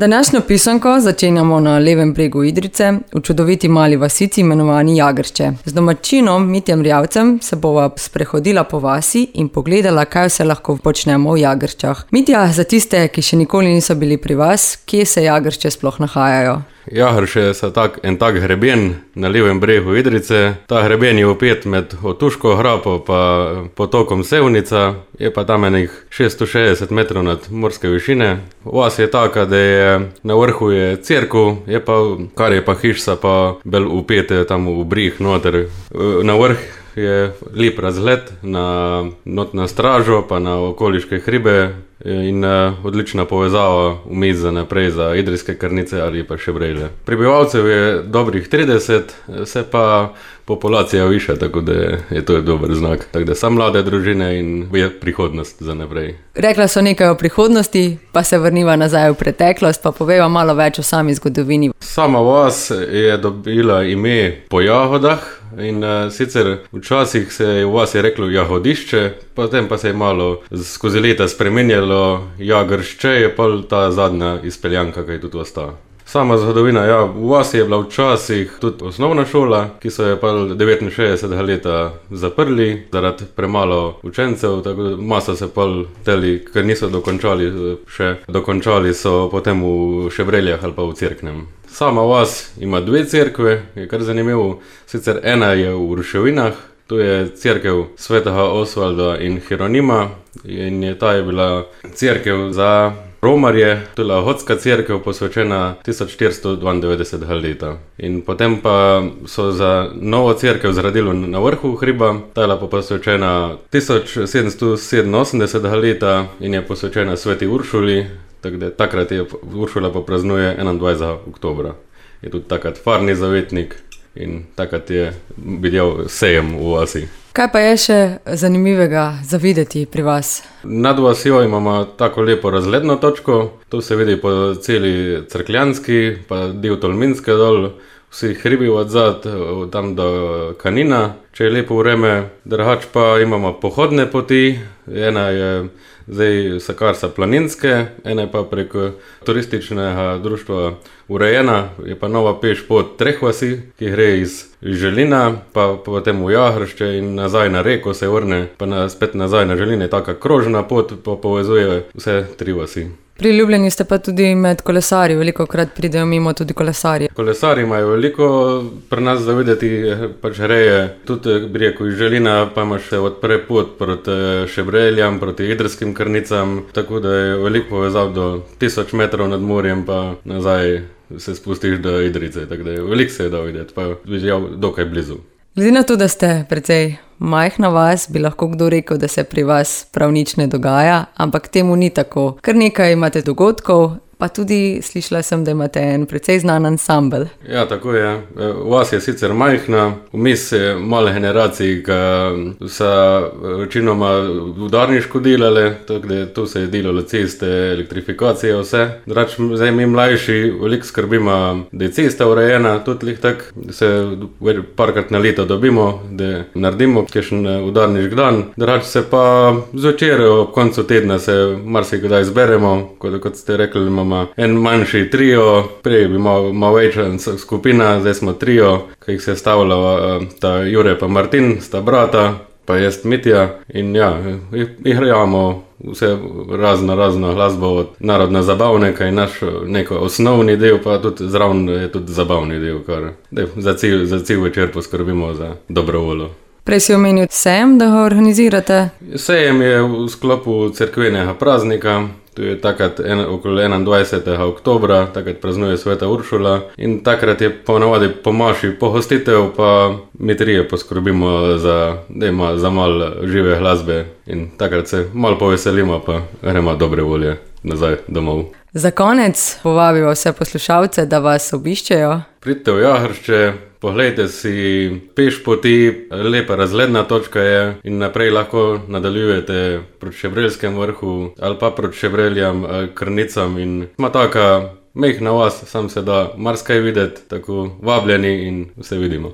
Današnjo pisanko začenjamo na levem bregu Idrijce, v čudoviti mali vasici imenovani Jagršče. Z domačinom Mitjem Rjavcem se bova sprehodila po vasi in pogledala, kaj vse lahko počnemo v Jagrščah. Mitja, za tiste, ki še nikoli niso bili pri vas, kje se Jagršče sploh nahajajo? Jagršče je en tak hreben na levem bregu Idrijce. Ta hreben je upet med Otuško grapo pa potokom Sevnica, je pa tam enih 660 metrov nad morske višine. Vas je taka, da je na vrhu je cerkev, kar je pa hišca pa bolj upete tam v brih noter. Na vrh je lep razgled na stražo pa na okoliške hribe in odlična povezava vmes za naprej za idrijske Krnice ali pa Šebrelje. Prebivalcev je dobrih 30, se pa populacija viša, tako da je to dober znak. Tako da so mlade družine in je prihodnost za naprej. Rekla so nekaj o prihodnosti, pa se vrniva nazaj v preteklost, pa poveva malo več o sami zgodovini. Sama vas je dobila ime po jagodah in sicer včasih se je v vas je reklo Jagodišče, potem pa se je malo skozi leta spremenjalo Jagršče, je pa ta zadnja izpeljanka, ki je tudi ostala. Sama zgodovina, v vas je bila včasih tudi osnovna šola, ki so je pa 69 leta zaprli zaradi premalo učencev, tako masa se pa teli, ker niso dokončali so potem v Šebreljah ali pa v Cerknem. Sama vas ima dve cerkve, je kar zanimivo, sicer ena je v Ruševinah, to je cerkev svetega Osvalda in Hieronima in ta je bila cerkev za romarje, to je lahotska cerkev posvečena 1492 leta. In potem pa so za novo cerkev zradili na vrhu hriba, ta je bila posvečena 1787 leta in je posvečena sveti Uršuli, tako da takrat je Uršula pa praznuje 21. oktobra. Je tudi takrat farni zavetnik in takrat je videl sejem v vasi. Kaj pa je še zanimivega za videti pri vas? Nad vasjo imamo tako lepo razgledno točko, to se vidi po celi Cerkljanski, pa del Tolminske dol, vsi hribi odzad, tam do Kanina, če je lepo vreme. Drugače pa imamo pohodne poti, ena je zdaj Sakarsa Planinske, ena je pa prek turističnega društva urejena, je pa nova peš pot treh vasi, ki gre iz Želina, pa potem v Jagršče in nazaj na reko se vrne, pa spet nazaj na Želine, taka krožna pot pa povezuje vse tri vasi. Priljubljeni ste pa tudi med kolesarji, veliko krat pridejo mimo tudi kolesarji. Kolesarji imajo veliko pri nas za videti, pač greje, tudi breko iz Želina, pa imaš se odpre pot proti Šebreljam, proti idrijskim Krnicam, tako da je veliko povezav do 1000 metrov nad morjem, pa nazaj se spustiš do Idrijce, tako da je veliko se da videti, pa je dokaj blizu. Glede na to, da ste precej majhna vas, bi lahko kdo rekel, da se pri vas prav nič ne dogaja, ampak temu ni tako. Kar nekaj imate dogodkov, pa tudi slišala sem, da imate en precej znan ansambel. Ja, tako je. Vas je sicer majhna, vmes je malo generacij, ki so večinoma udarniško delale, tako da tu se je delalo ceste, elektrifikacije, vse. Zdaj mi mlajši veliko skrbimo, da je cesta urejena, tudi tako, da se parkrat na leto dobimo, da naredimo kakšen udarniški dan. Drugače se pa zvečer ob koncu tedna se marsikdaj zberemo, kot ste rekli, imamo en manjši trio, prej bi malo večja skupina, zdaj smo trio, ki jih se stavlja ta Jure pa Martin, sta brata, pa jaz Mitja in igramo vse razno glasbo od narodne zabavnega in naš neko osnovni del, pa tudi zraven je tudi zabavni del, kar za cel večer poskrbimo za dobro voljo. Prej si omenil sejem, da ga organizirate? Sejem je v sklopu cerkvenega praznika, to je takrat okoli 21. oktobra, takrat praznuje sveta Uršula in takrat je ponavadi po maši pohostitev, pa mi trije poskrbimo za malo žive glasbe in takrat se malo poveselimo, pa gremo dobre volje nazaj domov. Za konec povabimo vse poslušalce, da vas obiščejo. Pridite v Jagršče, poglejte si peš poti, lepa razgledna točka je in naprej lahko nadaljujete proti Šebreljskem vrhu ali pa proti Šebreljam, Krnicam in ima taka mehna vas, sam se da marsikaj videti, tako vabljeni in vse vidimo.